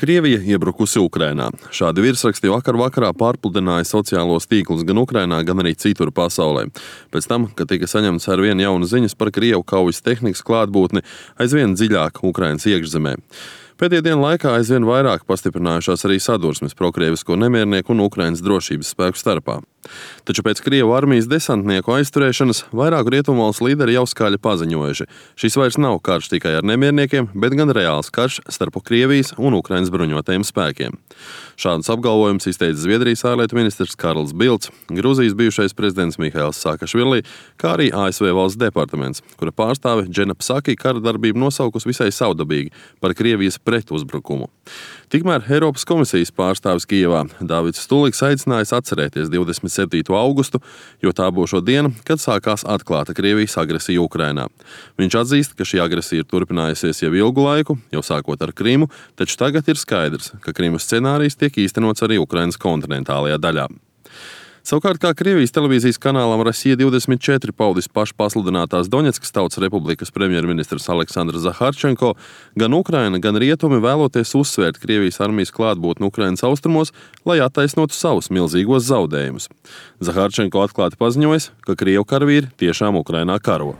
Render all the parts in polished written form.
Krievija iebrukusi Ukrainā. Šādi virsraksti vakar vakarā pārpludināja sociālos tīklus gan Ukrainā, gan arī citur pasaulē. Pēc tam, kad tika saņemts arvien jaunas ziņas par Krievu kaujas tehnikas klātbūtni aizvien dziļāk Ukrainas iekšzemē. Pēdējo dienu laikā aizvien vairāk pastiprinājušās arī sadursmes prokrievisko nemiernieku un Ukrainas drošības spēku starpā. Taču pēc Krievu armijas desantnieku aizturēšanas vairāku rietumvalstu līderi jau skaļi paziņojuši. Šis vairs nav karš tikai ar nemierniekiem, bet gan reāls karš starp Krievijas un Ukrainas bruņotajiem spēkiem. Šādus apgalvojumus izteica Zviedrijas ārlietu ministrs Karls Bilds, Gruzijas bijušais prezidents Mihails Saakašvili, kā arī ASV valsts departaments, kura pārstāve Džena Psaki kara darbību nosaukus visai saudabīgi par Krievijas pretuzbrukumu. Tikmēr Eiropas komisijas pārstāvis Kijevā Dāvids Stuliks aicinājis atcerēties 27. augustu, jo tā būs diena, kad sākās atklāta Krievijas agresija Ukrainā. Viņš atzīst, ka šī agresija ir turpinājusies jau ilgu laiku, jau sākot ar Krimu, taču tagad ir skaidrs, ka Krimas scenārijs tiek īstenots arī Ukrainas kontinentālajā daļā. Savukārt, kā Krievijas televīzijas kanālam Rasija 24 paudis pašpasludinātās Doņetskas Tautas Republikas premjerministrs Aleksandrs Zaharčenko, gan Ukraina, gan rietumi vēloties uzsvērt Krievijas armijas klātbūtni Ukrainas austrumos, lai attaisnotu savus milzīgos zaudējumus. Zaharčenko atklāti paziņojis, ka Krievu karavīri tiešām Ukrainā karo.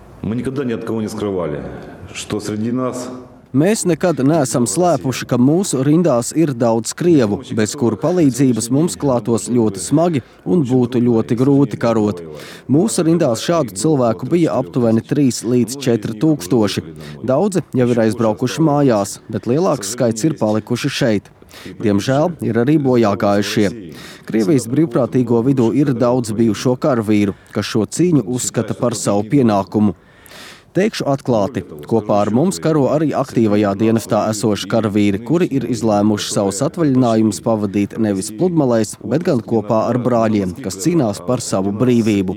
Mēs nekad neesam slēpuši, ka mūsu rindās ir daudz krievu, bez kuru palīdzības mums klātos ļoti smagi un būtu ļoti grūti karot. Mūsu rindās šādu cilvēku bija aptuveni 3 līdz 4 tūkstoši. Daudzi jau ir aizbraukuši mājās, bet lielāks skaits ir palikuši šeit. Diemžēl ir arī bojāgājušie. Krievijas brīvprātīgo vidū ir daudz bijušo karavīru, kas šo cīņu uzskata par savu pienākumu. Teikšu atklāti, kopā ar mums karo arī aktīvajā dienestā esoši karavīri, kuri ir izlēmuši savus atvaļinājumus pavadīt nevis pludmalēs, bet gan kopā ar brāļiem, kas cīnās par savu brīvību.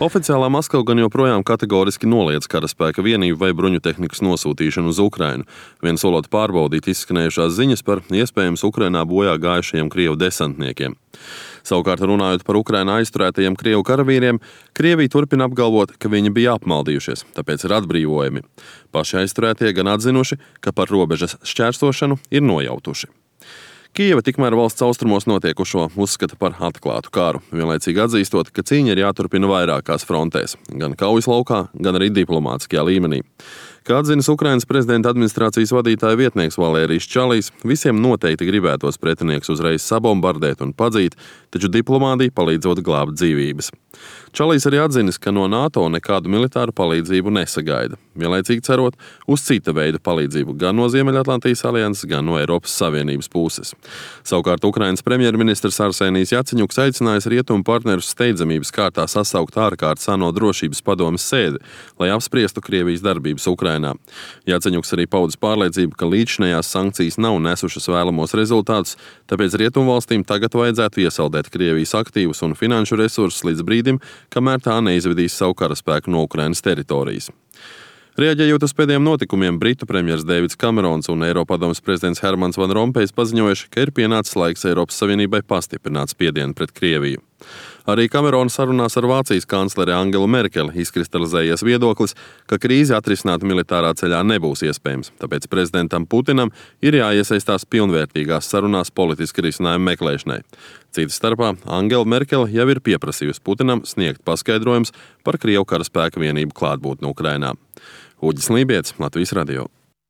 Oficiālā Maskava gan joprojām kategoriski noliedz karaspēka vienību vai bruņu tehnikas nosūtīšanu uz Ukrainu, vien solot pārbaudīt izskanējušās ziņas par iespējams Ukrainā bojā gājušajiem Krievu desantniekiem. Savukārt, runājot par Ukrainā aizturētajiem Krievu karavīriem, Krievija turpina apgalvot, ka viņi bija apmaldījušies, tāpēc ir atbrīvojami. Paši aizturētie gan atzinuši, ka par robežas šķērsošanu ir nojautuši. Kijeva tikmēr valsts austrumos notiekušo uzskata par atklātu kāru, vienlaicīgi atzīstot, ka cīņa ir jāturpina vairākās frontēs, gan kaujas laukā, gan arī diplomātiskajā līmenī. Kā atzinis Ukrainas prezidenta administrācijas vadītāja vietnieks Valērijs Čalijs, visiem noteikti gribētos pretinieks uzreiz sabombardēt un padzīt, taču diplomātija palīdzot glābt dzīvības. Čalijs arī atzinis, ka no NATO nekādu militāru palīdzību nesagaida, vienlaicīgi cerot uz cita veida palīdzību gan no Ziemeļatlantijas alianses, gan no Eiropas Savienības puses. Savukārt Ukrainas premjerministrs Arsenijs Jaceņuks aicinājis rietumu partnerus steidzamības kārtā sasaukt ārkārtas ANO drošības padomes sēdi, lai apspriestu Krievijas darbības Ukrainā. Jaceņuks arī paudis pārliecību, ka līdzinējās sankcijas nav nesušas vēlamos rezultātus, tāpēc rietumvalstīm tagad vajadzētu iesaldēt Krievijas aktīvus un finanšu resursus līdz brīdim, kamēr tā neizvedīs savu karaspēku no Ukrainas teritorijas. Reaģējot uz pēdējiem notikumiem, Britu premjers Deivids Kamerons un Eiropadomes prezidents Hermans Van Rompējs paziņojuši, ka ir pienācis laiks Eiropas Savienībai pastiprināt spiedienu pret Krieviju. Arī Kamerona sarunās ar Vācijas kancleri Angelu Merkeli izkristalizējies viedoklis, ka krīzi atrisināt militārā ceļā nebūs iespējams, tāpēc prezidentam Putinam ir jāiesaistās pilnvērtīgās sarunās politiski risinājumu meklēšanai. Citas starpā Angela Merkele jau ir pieprasījusi Putinam sniegt paskaidrojums par Krievu karaspēka vienību klātbūtni Ukrainā. Uģis Lībietis, Latvijas radio.